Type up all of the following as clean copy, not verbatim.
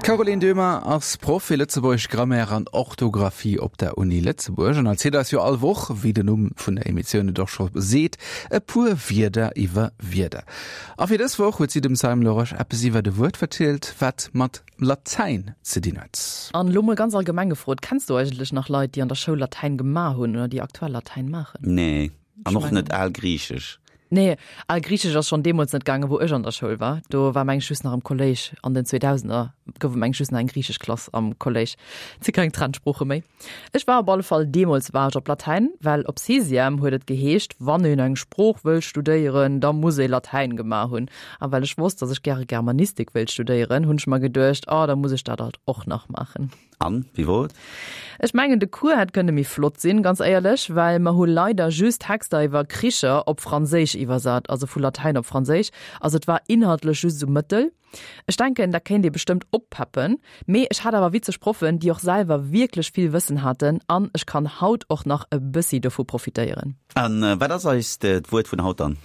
D'Caroline Döhmer ass Proff fir Lëtzebuergesch Grammaire an Orthografie op der Uni Lëtzebuerg an erzielt eis jo all Woch, wéi den Numm vun der Emissioun et och scho seet, e puer Wierder iwwer Wierder. A fir dës Woch huet si dem Simon Larosche eppes iwwert e Wuert verzielt, wat mat Latäin ze dinn huet. An elo mol ganz allgemeng gefrot, Kenns du eigentlech nach Leit, déi an der Schoul Latäin gemaach hunn oder déi aktuell Latäin maachen? Nee, an och net Algriichesch. Nee, Algriichesch ass schonn deemools net gaangen, wou ech an der Schoul war. Do war meng ech just nach am Kolléisch. An den 2000er gouf et meng ech just nach eng griichesch Klass am Kolléisch. Et si keng Trendsprooche méi. Ech war op alle Fall deemools war ech op Latäin, well op Sixième huet et geheescht, wann een eng Sprooch wëll studéieren, da muss ee Latäin gemaach hunn. A well ech wosst, datt ech gäre Germanistik wéilt studéieren, hunn ech mer geduecht, oh, da muss ech dat alt och nach maachen. An, wéi wor et? Ech mengen de Cours hätt kënne méi flott sinn, ganz éierlech, well mer hu leider just Texter iwwer Kricher op Franséisch iwwersat, also vu Latäin op Franséisch, also et war inhaltlech just esou mëttel. Ech denken dat kéint ee bestëmmt oppeppen, mee ech hat awer witzeg Proffen, déi och selwer wierklech vill Wëssen haten an ech kann haut och nach e bëssi dovu profitéieren. An wat ass eist d'Wuert vun haut dann?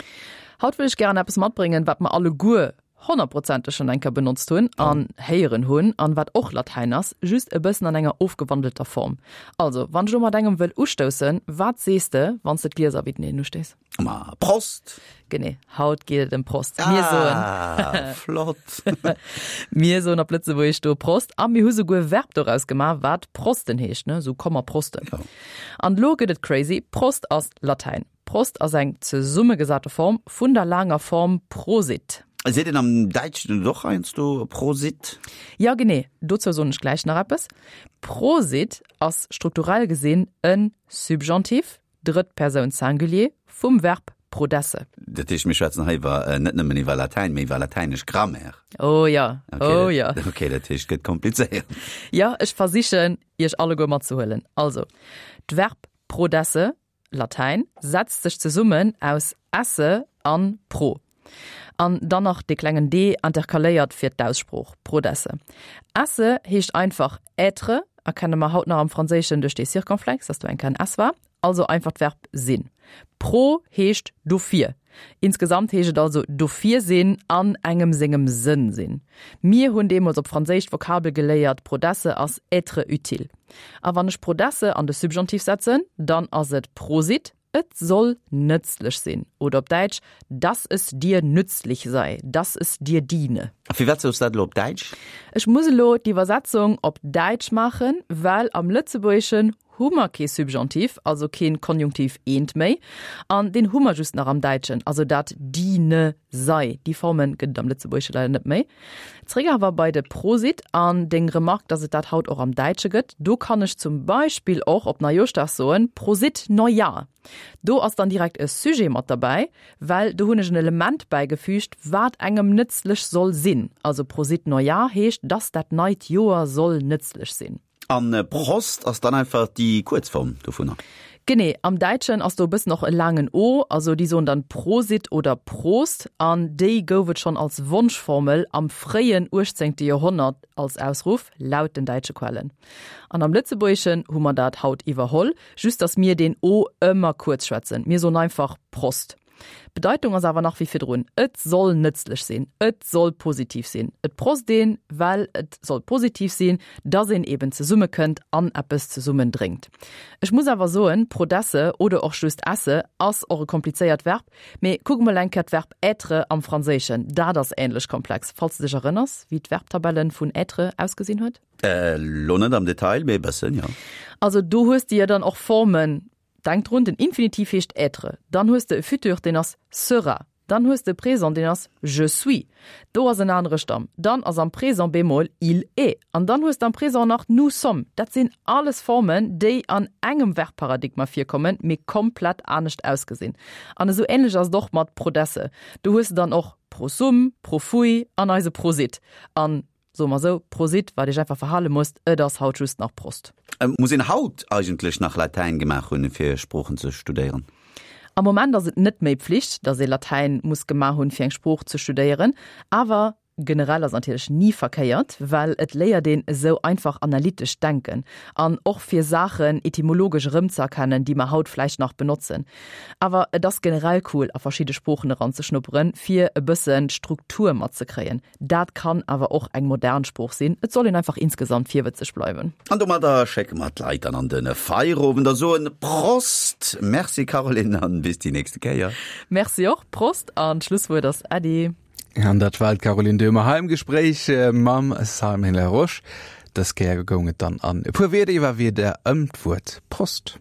Haut wëll ech gären eppes matbréngen, wat mer alleguer honnertprozenteg schonn eng Kéier benotzt hunn an héieren hunn an wat och Latäin ass, just e bëssen an enger ofgewandelter Form. Also, wann ech elo mat engem wëll ustoussen, wat sees de, wann s de d'Glieser widdeneen ustéiss? Ma Prost! Genee, haut geet et ëm Prost. Mir soen. Ah, flott! Mir soen op Lëtzebuergesch do Prost a mir hu souguer e Verb doraus gemaach, wat prosten heescht, ne, sou komm mer prosten. An elo gëtt et crazy, Prost ass Latäin. Prost ass eng zesummegesate Form vun der laanger Form Prosit. Seet een am Däitschen net och heiansdo Prosit? Jo, genee, dozou soen ech gläich nach eppes. Prosit ass strukturell gesinn e Subjonctif, drëtt Persoun Singulier, vum Verb prodesse. Dat heescht, mir schwätzen hei iwwer net nëmmen iwwer Latäin, mee iwwer latäinesch Grammaire. Oh jo, oh jo. Okay, dat heescht, et gëtt komplizéiert. Jo, ech versichen, Iech alleguer matzehuelen. Also, d'Verb prodesse Latäin, setzt sech zesummen aus esse an pro. An dann nach dee klengen d interkaléiert fir d'Aussprooch, prodesse. Esse heescht einfach être, erkenne mer haut nach am Franséischen duerch dee Circonflexe, dass do eng Kéier en s war, also einfach d'Verb sinn. Pro heescht dofir. Insgesamt heescht et also dofir sinn, an engem sengem Sënn sinn. Mir hunn deemools op Franséisch d'Vokabel geléiert, prodesse ass être utile. A wann ech prodesse an de Subjonctif setzen, dann ass et Prosit, et soll nëtzlech sinn, oder op Däitsch, dass es dir nützlich sei, dass es dir diene. A firwat sous dat elo op Däitsch? Ech muss elo d'Iwwersetzung op Däitsch maachen, well am Lëtzebuergeschen hu mer kee Subjonctif, also keen Konjunktiv I méi, an deen hu mer just nach am Däitschen, also dat diene sei. Déi Forme gëtt et am Lëtzebuergesche leider net méi. Zréck awer bei de Prosit an deng Remark, dass et dat haut och am Däitsche gëtt. Do kann ech zum Beispill och op Neijooschdag soen, Prosit Neujahr. Do ass dann direkt e Sujet mat derbäi, well do hunn ech en Element bäigefügt, wat engem nëtzlech soll sinn. Also Prosit Neujahr heescht, dass dat neit Joer soll nëtzlech sinn. An Prost ass dann einfach déi Kuerzform dovunner. Genee, am Däitschen ass do e bëssen och e laangen o, also déi soen dann Prosit oder Prost an déi gouf et schonn als Wonschformel am fréien uechtzéngte Joerhonnert als Ausruff, laut den däitsche Quellen. An am Lëtzebuergeschen hu mer dat haut iwwerholl, just datt mir deen o ëmmer kuerz schwätzen, mir soen einfach Prost. D'Bedeitung ass awer nach wéi virdrun, et soll nëtzlech sinn, et soll positiv sinn. Et prost een, well et soll positiv sinn, dass een eben zesummekënnt an eppes zesummen drénkt. Ech muss awer soen, prodesse oder och just esse ass och e komplizéiert Verb, mee kuck emol eng Kéier d'Verb être am Franséischen, dat ass änlech komplex, falls de dech erënners, wéi d'Verbtabelle vun être ausgesinn huet. Elo net am Detail, mee e bëssen, jo. Also do hues de jo dann och Formen, Denk drun, den Infinitiv heescht être. Dann hues de e Futur, deen ass sera. Dann hues de e Présent, deen ass je suis. Do ass en anere Stamm. Dann ass am Présent bemol il est. An dann hues de am Présent nach nous sommes. Dat sinn alles Formen, déi an engem Verbparadigma virkommen, mee komplett anescht ausgesinn. An esou änlech ass et och mat prodesse. Do hues de dann och prosum, profui an eise Prosit. An Soe mer esou, Prosit, wat Iech einfach verhale musst, et ass haut just nach Prost. Muss een haut eigentlech nach Latäin gemaach hunn, fir Sproochen ze studéieren? Am Moment ass et net méi Pflicht, datt ee Latäin muss gemaach hunn, fir eng Sprooch ze studéieren. Awer. Generell ass natierlech ni verkéiert, well et léiert een esou einfach analytescht Denken an och fir Saachen etymologesch erëmzëerkennen, déi mer haut vläicht nach benotzen. Awer et ass generell cool a verschidde Sproochen eranzeschnupperen, fir e bëssen d'Struktur matzekréien. Dat kann awer och eng modern Sprooch sinn, et soll een einfach insgesamt virwëtzeg bleiwen. An domadder schécke mer d'Leit dann an de Feierowend a soen Prost! Merci Caroline an bis déi nächste Kéier. Merci och, Prost an d'Schlusswuert ass Äddi. An dat war d'Caroline Döhmer hei am Gespréich mam Simon Larosche. Dës Kéier goung et dann an e puer Wierder iwwer Wierder ëm d'Wuert Prost.